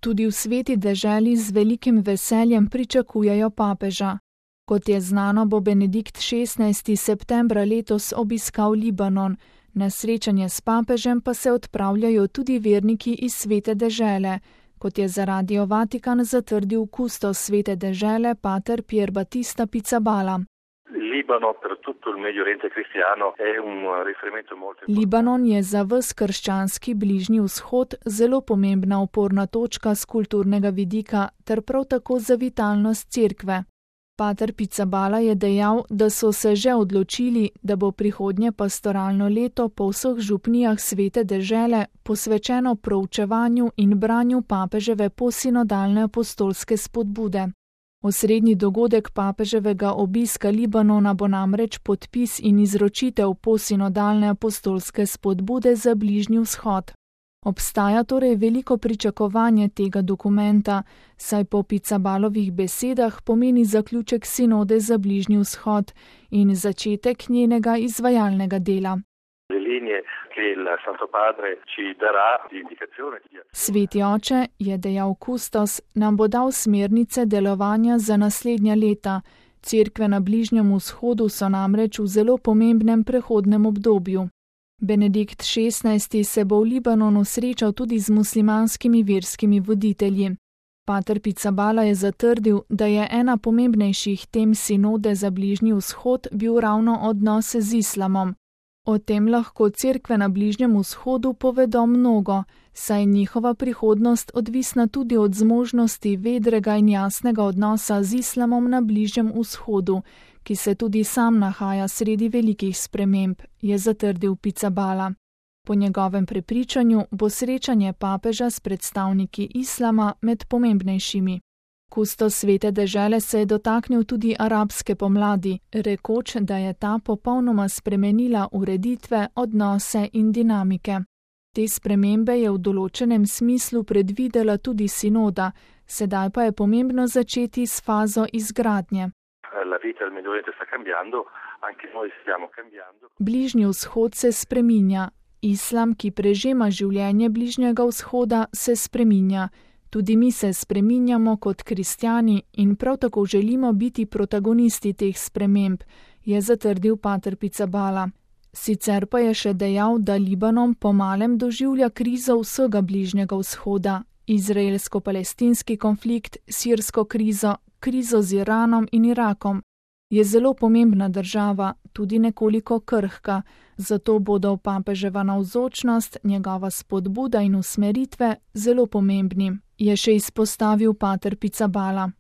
Tudi v Sveti deželi z velikim veseljem pričakujejo papeža. Kot je znano, bo Benedikt XVI. Septembra letos obiskal Libanon. Na srečanje s papežem pa se odpravljajo tudi verniki iz Svete dežele, kot je za Radio Vatikan zatrdil kustos Svete dežele pater Pier Battista Pizzaballa. Libanon je za ves krščanski Bližnji vzhod zelo pomembna oporna točka z kulturnega vidika ter prav tako za vitalnost cerkve. Pater Pizzaballa je dejal, da so se že odločili, da bo prihodnje pastoralno leto po vseh župnijah Svete dežele posvečeno proučevanju in branju papeževe posinodalne apostolske spodbude. Osrednji dogodek papeževega obiska Libanona bo namreč podpis in izročitev posinodalne apostolske spodbude za Bližnji vzhod. Obstaja torej veliko pričakovanje tega dokumenta, saj po Pizzaballovih besedah pomeni zaključek sinode za Bližnji vzhod in začetek njenega izvajalnega dela. Sveti oče, je dejal kustos, nam bo dal smernice delovanja za naslednja leta. Cerkve na Bližnjem vzhodu so namreč v zelo pomembnem prehodnem obdobju. Benedikt XVI. Se bo v Libanonu srečal tudi z muslimanskimi verskimi voditelji. Pater Pizzaballa je zatrdil, da je ena pomembnejših tem sinode za Bližnji vzhod bil ravno odnos z islamom. O tem lahko cerkve na Bližnjem vzhodu povedo mnogo, saj je njihova prihodnost odvisna tudi od zmožnosti vedrega in jasnega odnosa z islamom na Bližnjem vzhodu, ki se tudi sam nahaja sredi velikih sprememb, je zatrdil Pizzaballa. Po njegovem prepričanju bo srečanje papeža s predstavniki islama med pomembnejšimi. Kustos Svete dežele se je dotaknil tudi arabske pomladi, rekoč, da je ta popolnoma spremenila ureditve, odnose in dinamike. Te spremembe je v določenem smislu predvidela tudi sinoda, sedaj pa je pomembno začeti s fazo izgradnje. Bližnji vzhod se spreminja. Islam, ki prežema življenje Bližnjega vzhoda, se spreminja. Tudi mi se spreminjamo kot kristjani in prav tako želimo biti protagonisti teh sprememb, je zatrdil pater Pizzaballa. Sicer pa je še dejal, da Libanon pomalem doživlja krizo vsega Bližnjega vzhoda, izraelsko-palestinski konflikt, sirsko krizo, krizo z Iranom in Irakom. Je zelo pomembna država, tudi nekoliko krhka, zato bodo papeževa navzočnost, njegova spodbuda in usmeritve zelo pomembni, je še izpostavil pater Pizzaballa.